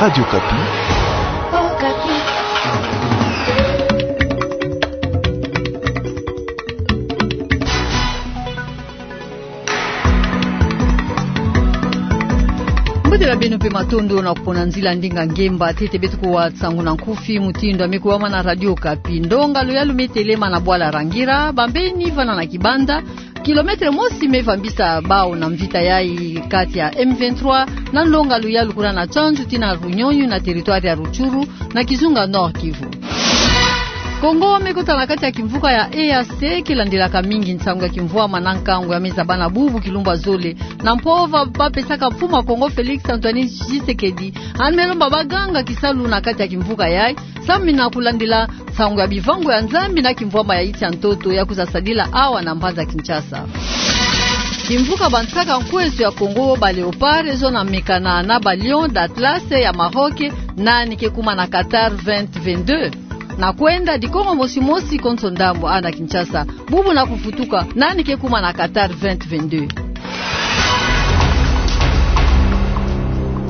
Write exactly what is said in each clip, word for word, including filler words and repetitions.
Radio Okapi. Mbote na beno mpe matondo na kupona nzila ndinga ngemba ntete beto kuwa nsangu na nkufi mutindu ya me kubama na Radio Okapi. Ndonga luyalu me telema na bwala Rangira, bambeni vana na Kibanda, kilometre mosi me vambisa bawu na mvita yayi kati ya M vingt-trois na ndonga luyalu kuna na Tchanzu tii na Runyonyi na territoire ya Rutshuru na kizunga Nord-Kivu. Kongo me kota na kati ya kimvuka ya E A C, ke landelaka mingi nsangu ya kimvwama na nkangu ya me zabana bubu kilumbu ya zole. Na mpova ba pesaka mfumu ya Kongo Félix Antoine Tshisekedi, yandi me lomba ba ganga kisalu na kati ya kimvuka yayi, samu na kulandila nsangu ya bivangu ya Nzambi na kimvwama ya insi ya ntoto ya kwiza sadila awa na mbanza Kinshasa. Kimvuka bansaka nkweso ya Kongo, ba Léopards, zona mekana na ba Lions d'Atlas ya Maroc, nani ke kuma na Qatar vingt vingt-deux. Na kwenda dikongo mosi mosi konso ndambu awa na Kinshasa, bubu na kufutuka, nani ke kuma na Qatar vingt vingt-deux.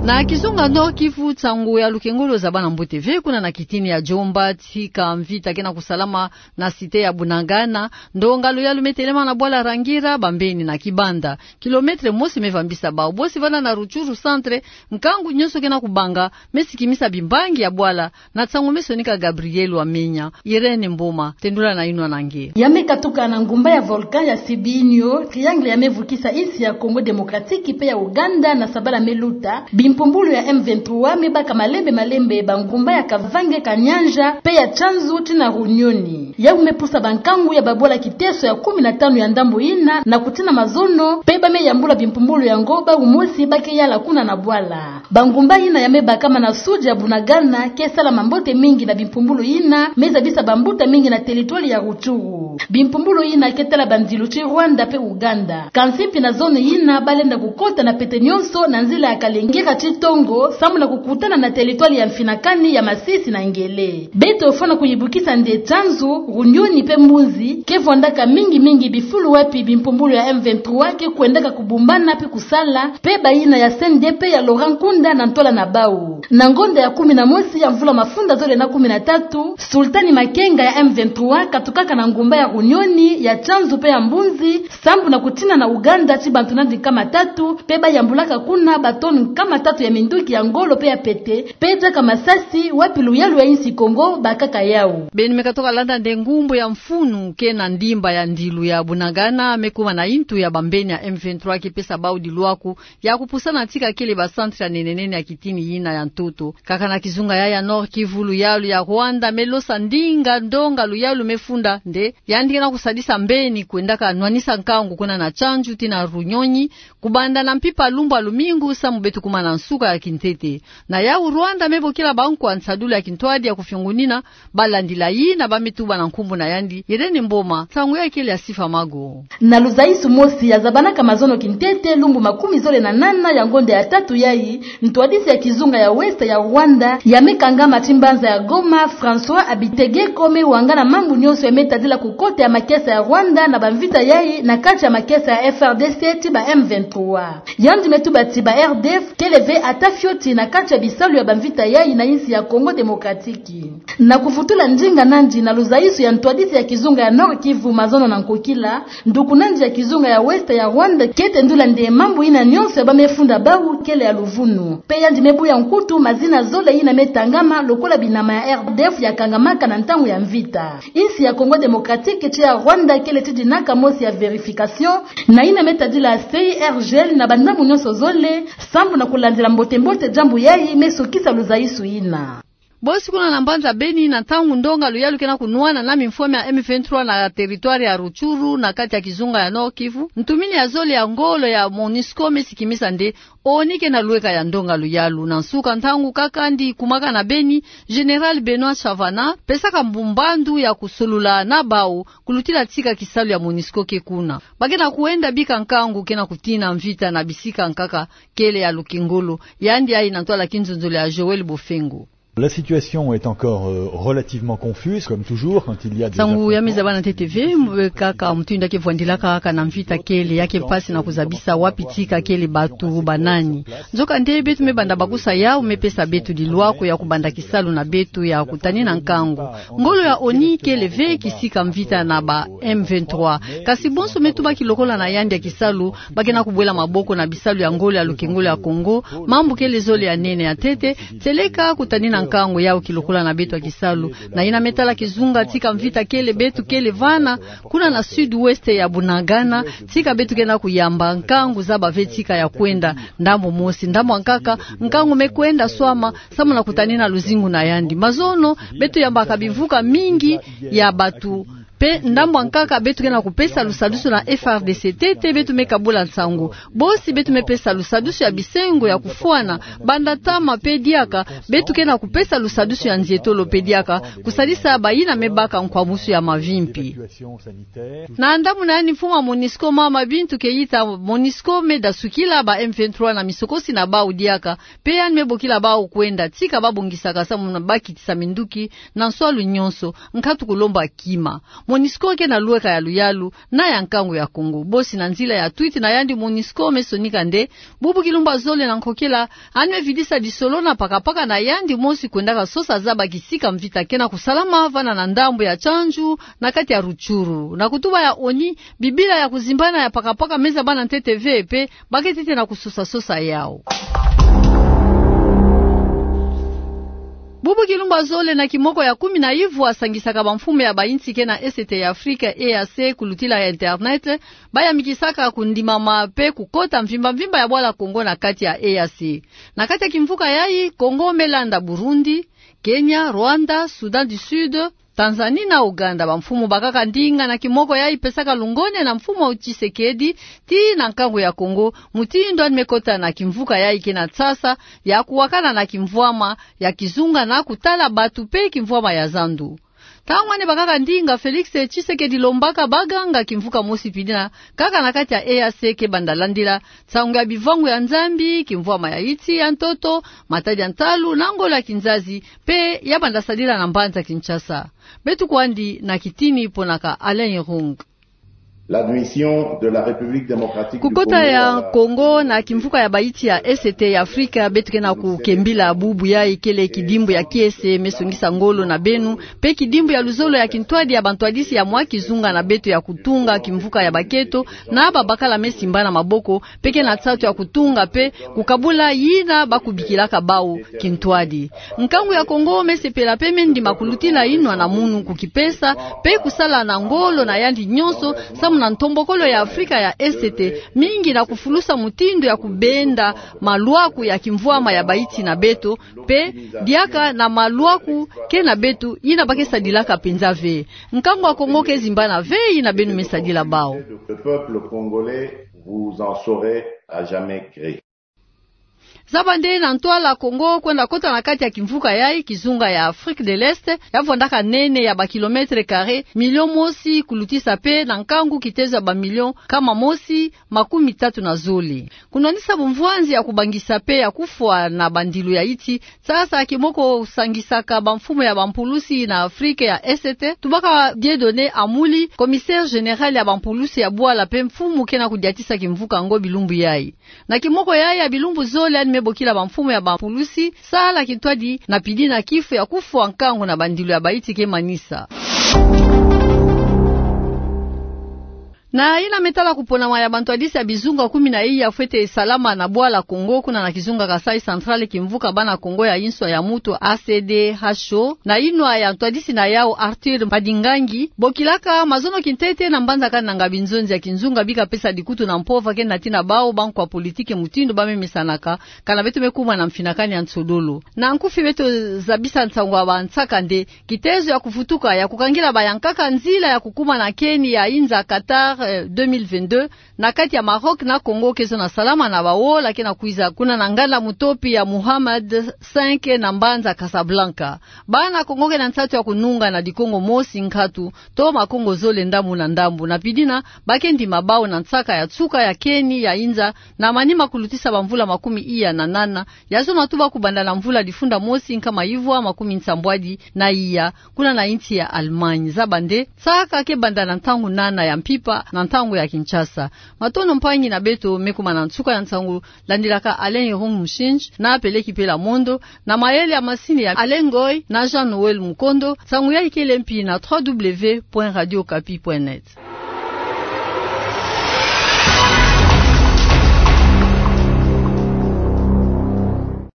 Na kizunga Nord-Kivu, nsangu ya lukengolo zabana mbote ve kuna na kitini ya Djomba, tika mvita ke na kusalama na cité ya Bunagana. Ndonga luyalu me telema na bwala Rangira, bambeni na Kibanda, kilometre mosi me vambisa bawu. Bosi vana na Rutshuru centre, nkangu nyonso ke na kubanga, me sikimisa bimbangi ya bwala. Na nsangu me sonika Gabriel Wamenya, Irène Mboma tendula na inwa na nge. Ya me katuka na ngumba ya volcan ya Sibinho, triangle ya me vukisa insi ya Congo Démocratique mpe ya Ouganda na sabala me luta, bimpumbulu ya M vingt-trois me baka malembe malembe bangumba ya Kavange, Kanyanja mpe ya Tchanzu tii na Runyonyi. Yawu me pusa bankangu ya babwala kiteso ya kumi na tanu ya ndambu yina na kutina mazono, mpe ba me yambula bimpumbulu yango bawu mosi ba ke yala kuna na bwala. Bangumba yina ya me bakama na sud ya Bunagana ke salama mbote mingi na bimpumbulu yina me zabisa bambuta mingi na territoire ya Rutshuru. Bimpumbulu yina ke tala bandilu ti Rwanda mpe Ouganda. Kansi mpi na zone yina ba lenda kukota na pete nyonso na nzila ya Kalengira ti Tongo, samu na kukutana na territoire ya Mfinakani, ya Masisi na Ngele. Beto fwana kuyibukisa nde Tchanzu, Runyonyi mpe Mbunzi ke vwandaka mingi mingi bifulu wapi bimpumbulu ya M vingt-trois ke kwendaka kubumbana mpe kusala, mpe bayina ya C N D P ya Laurent Nkunda na ntwala na bawu. Na ngonda ya kumi na mosi ya mvula mafunda zole na kumi na tatu, Sultani Makenga ya M vingt-trois katukaka na ngumba ya Runyonyi, ya Tchanzu mpe ya Mbunzi, sambu na kutina na Ouganda ti bantu nandi nkama tatu, mpe ba yambulaka kuna ba tonnes nkama tatu ya minduki ya ngolo mpe ya pete, mpe diaka masasi, wapi luyalu ya insi Kongo bakaka yawu. Beno me katoka landa nde ngumbu ya mfunu ke na ndimba ya ndilu ya Bunagana me kuma na intu ya bambeni ya M vingt-trois ke pesa bawu dilwaku ya kupusana tika kele ba centre ya nene nene ya kitini yina ya ntoto. Kaka na kizunga ya, ya Nord-Kivu, luyalu ya Rwanda me losa ndinga ndonga luyalu me funda nde yandi ke na kusadisa mbeni kwendaka nwanisa nkangu kuna na Tchanzu tii na Runyonyi, kubanda na mpimpa lumbu ya lumingu samu beto kuma na nsuka ya kintete. Na yawu Rwanda me bokila bankwa nsadulu ya kintwadi ya kufiongunina, ba landila yina ba me tuba na nkumbu na yandi, Irène Mboma, nsangu yayi kele ya Sifa Mago. Na luzaisu mosi ya zabanaka mazono kintete lumbu makumi zole na nana ya ngonda ya tatu yayi, ntwadisi ya kizunga ya Ouest ya Rwanda ya me kangama ti mbanza ya Goma, François Habitegeko, me wangana mambu nyonso ya me tadila kukota ya makesa ya Rwanda na bamvita yayi na kati ya makesa ya F R D C tii ba M vingt-trois. Yandi me tuba ti ba R D F kele ve ata fioti na kati ya bisalu ya bamvita yayi na insi ya Congo Démocratique. Na kuvutula ndinga nandi na luzaisu ya ntwadisi ya kizunga ya Nord-Kivu, mazono na nkokila, nduku nandi ya kizunga ya Ouest ya Rwanda ke tendula nde mambu yina nyonso ya ba me funda bawu kele ya luvunu. Mpe yandi me buya nkutu mazina zole yina me tangama lokola binama ya R D F ya kangamaka na ntangu ya mvita. Insi ya Congo Démocratique tii ya Rwanda kele ti dinaka mosi ya vérification na yina me tadila C I R G L na bandambu nyonso zole, sambu na kulandila mbote mbote diambu yayi me sukisa luzaisu yina. Bosi kuna na mbanza Beni, na ntangu ndonga luyalu ke na kunwana na mimfwama ya M vingt-trois na territoire ya Rutshuru, na kati ya kizunga ya Nord-Kivu, ntumini ya zole ya ngolo ya MONUSCO me sikimisa nde ONU ke na lweka ya ndonga luyalu. Na nsuka ntangu kaka ndi kumaka na Beni, Général Benoît Chavana pesaka mbu mbandu ya kusolula na bawu kulutila tika kisalu ya MONUSCO ke kuna. Ba ke na kwenda bika nkangu ke na kutina mvita na bisika nkaka kele ya lukengolo. Yandi ayi na ntwala kinzonzolo ya Joël Bofengo. La situation est encore, euh, relativement confuse, comme toujours, quand il y a des... Nsangu ya me zaba na ntete ve, mbe kaka mutindu ya ke vwandilaka kaka na mvita kele, ya ke mpasi na kuzabisa wapi tika kele, bato banani. Nzokande beto me banda bakusa yau me pesa beto lilwaku ya kubanda kisalu na beto ya kutanina nkangu. Ngolo ya ONU kele ve kisika mvita na ba M vingt-trois. Kasi bonso me tubaki lokola na yandi ya kisalu, ba ke na kubwela maboko na bisalu ya ngolo ya lukengolo ya Kongo, mambu kele zole ya nene ya ntete, seleka kutanina nkangu yau kilokola na beto ya kisalu. Na yina me tala kizunga tika mvita kele, beto kele vana, kuna na sud-ouest ya Bunagana, tika beto ke na kuyamba nkangu zaba ve tika ya kwenda, ndambu mosi, ndambu ya nkaka, nkangu me kwenda swama, samu na kutanina luzingu na yandi. Mazono, beto yambaka bimvuka mingi ya bato, mpe ndambu ya nkaka beto ke na kupesa lusadusu na F R D C, ntete beto me kabula nsangu. Bosi beto me pesa lusadusu ya bisengo ya kufwana, banda ntama mpe diaka, beto ke na kupesa lusadusu ya nzietolo mpe diaka, kusadisa bayina me baka nkwamusu ya mavimpi. Na ndambu na yandi mfumu ya MONUSCO mama Bintou Keita, MONUSCO me dasukila ba M vingt-trois na misokosi na bau diaka, mpe yandi me bokila bau kwenda, tika ba bongisaka samu na ba kitisa minduki, na nswalu nyonso, nkatu kulomba kima. MONUSCO ke na lweka ya luyalu, na ya nkangu ya Kongo. Bosi na nzila ya tweet na yandi MONUSCO me sonika nde, bubu kilumbu ya zole na nkokila, yandi me vidisa lisolo na pakapaka na yandi mosi kwendaka sosa zaba kisika mvita ke na kusalama vana na ndambu ya Tchandjou, na kati ya Rutshuru. Na kutuba ya ONU, bibila ya kuzimbana ya pakapaka me zaba na ntete ve mpe, ba ke ntete na kusosa-sosa yau. Bubu kilumbu ya zole na kimoko ya kumi na ivwa sangisaka bamfumu ya bayinsi ke na Est ya Afrika, E A C, kulutila ya internet, ba yamikisaka kundimama mpe kukota mvimba-mvimba ya bwala Kongo na kati ya E A C. Na kati ya kimvuka yayi, Kongo me landa Burundi, Kenya, Rwanda, Soudan du Sud, Tanzanie na Ouganda. Bamfumu bakaka ndinga na kimoko yayi pesaka lungone na mfumu Tshisekedi, tii na nkangu ya Kongo, mutindu yandi me kota na kimvuka yayi ke na nsasa ya kuwakana na kimvwama ya kizunga na kutala bato mpe kimvwama ya zandu. Ntangu yandi bakaka ndinga, Félix Tshisekedi lombaka baganga kimvuka mosi mpidi na kaka na kati ya E A C ke banda landila nsangu ya bivangu ya Nzambi, kimvwama ya iti ya ntoto, matadi ya ntalu, na ngolo ya kinzazi, mpe ya banda sadila na mbanza Kinshasa. Beto kwandi na kitini ponaka Alain Irung. L'admission de la République démocratique du Congo à la... Kukota ya Kongo na kimvuka ya bayinsi ya Est ya Afrika, beto ke na kukembila bubu yayi kele kidimbu ya kiese me songisa ngolo na beno, mpe kidimbu ya luzolo ya kintwadi ya bantwadisi ya mwa kizunga na beto ya kutunga kimvuka ya bakento, na babakala me simbana maboko, mpe ke na nsatu ya kutunga mpe kukabula yina ba kubikilaka bau kintwadi. Nkangu ya Kongo me sepela mpe me ndima kulutila inwa na munu kukipesa, mpe kusala na ngolo na yandi nyonso, samu na ntombokolo ya Afrika ya Est, mingi na kufulusa mutindu ya kubenda malwaku ya kimvwama ya bayinsi na beto, mpe diaka na malwaku ke na beto yina ba ke sadilaka mpenza ve. Nkangu ya Kongo ke zimbana ve yina beno me sadila bau. Le peuple congolais, vous en saurez à jamais gré. Zaba nde na ntwala Kongo kwenda kota na kati ya kimvuka yayi, kizunga ya Afrique de l'Est, ya vwandaka nene ya ba kilomètres carrés million mosi kulutisa mpe na nkangu kitezo ya ba million nkama mosi makumi tatu na zole. Kunwanisa bumvwanzi ya kubangisa mpe ya kufwa na bandilu ya iti, sasa kimoko sangisaka bamfumu ya bampulusi na Afrique ya Est, tubaka Dieudonné Amouli, commissaire général ya bampulusi ya bwala mpe mfumu ke na kudiatisa kimvuka yango bilumbu yayi. Na kimoko yayi ya bilumbu zole yandi me bokila bamfumu ya bampulusi, sala kintwadi na pidi na kifu ya kufwa nkangu na bandilu ya bayinsi ke manisa. Na yina me tala kuponama ya bantwadisi ya bizunga kumi na iya fwete salama na bwala Kongo, kuna na kizunga Kasaï Central, kimvuka bana Kongo ya inswa ya mutu, A C D H O, na inwa ya ntwadisi na yau Arthur Madingangi, bokilaka mazono kintete na mbanza kananga binzonzi ya kinzunga bi kapesa dikutu na mpova ke nati na bau bankwa politiki mutindu ba me mesanaka, kana beto me kuma na mfinakani ya nsodolo. Na nkufi beto zabisa nsangu ya bansaka nde, kitezo ya kuvutuka ya kukangila bayankaka nzila ya kukuma na keni ya inza Qatar, eh, deux mille vingt-deux, na kati ya Maroc na Congo, ke zo na salama na baola ke na kwiza kuna na nganda mutopi ya Mohamed cinq na mbanza Casablanca. Bana Kongo ke na nsatu ya kununga na dikongo mosi nkatu to makongo zole ndambu na ndambu. Na pidina, ba ke ndima bau na nsaka ya nsuka ya keni ya inza na manima kulutisa bamvula makumi iya na nana, ya zona tuba kubanda na mvula difunda mosi nkama ivwa makumi nsambwadi na iya, kuna na insi ya Allemagne. Zaba nde, nsaka ke banda na ntangu nana ya mpimpa na ntangu ya Kinshasa. Matondo mpangi na beto me kuma na nsuka ya nsangu, landilaka Alain Irung Mushinji na Peleki Pela Mondo, na mayele ya masini ya Alain Ngoy na Jean Noël Mukondo. Nsangu yayi kele mpi na trois W point radio okapi point net.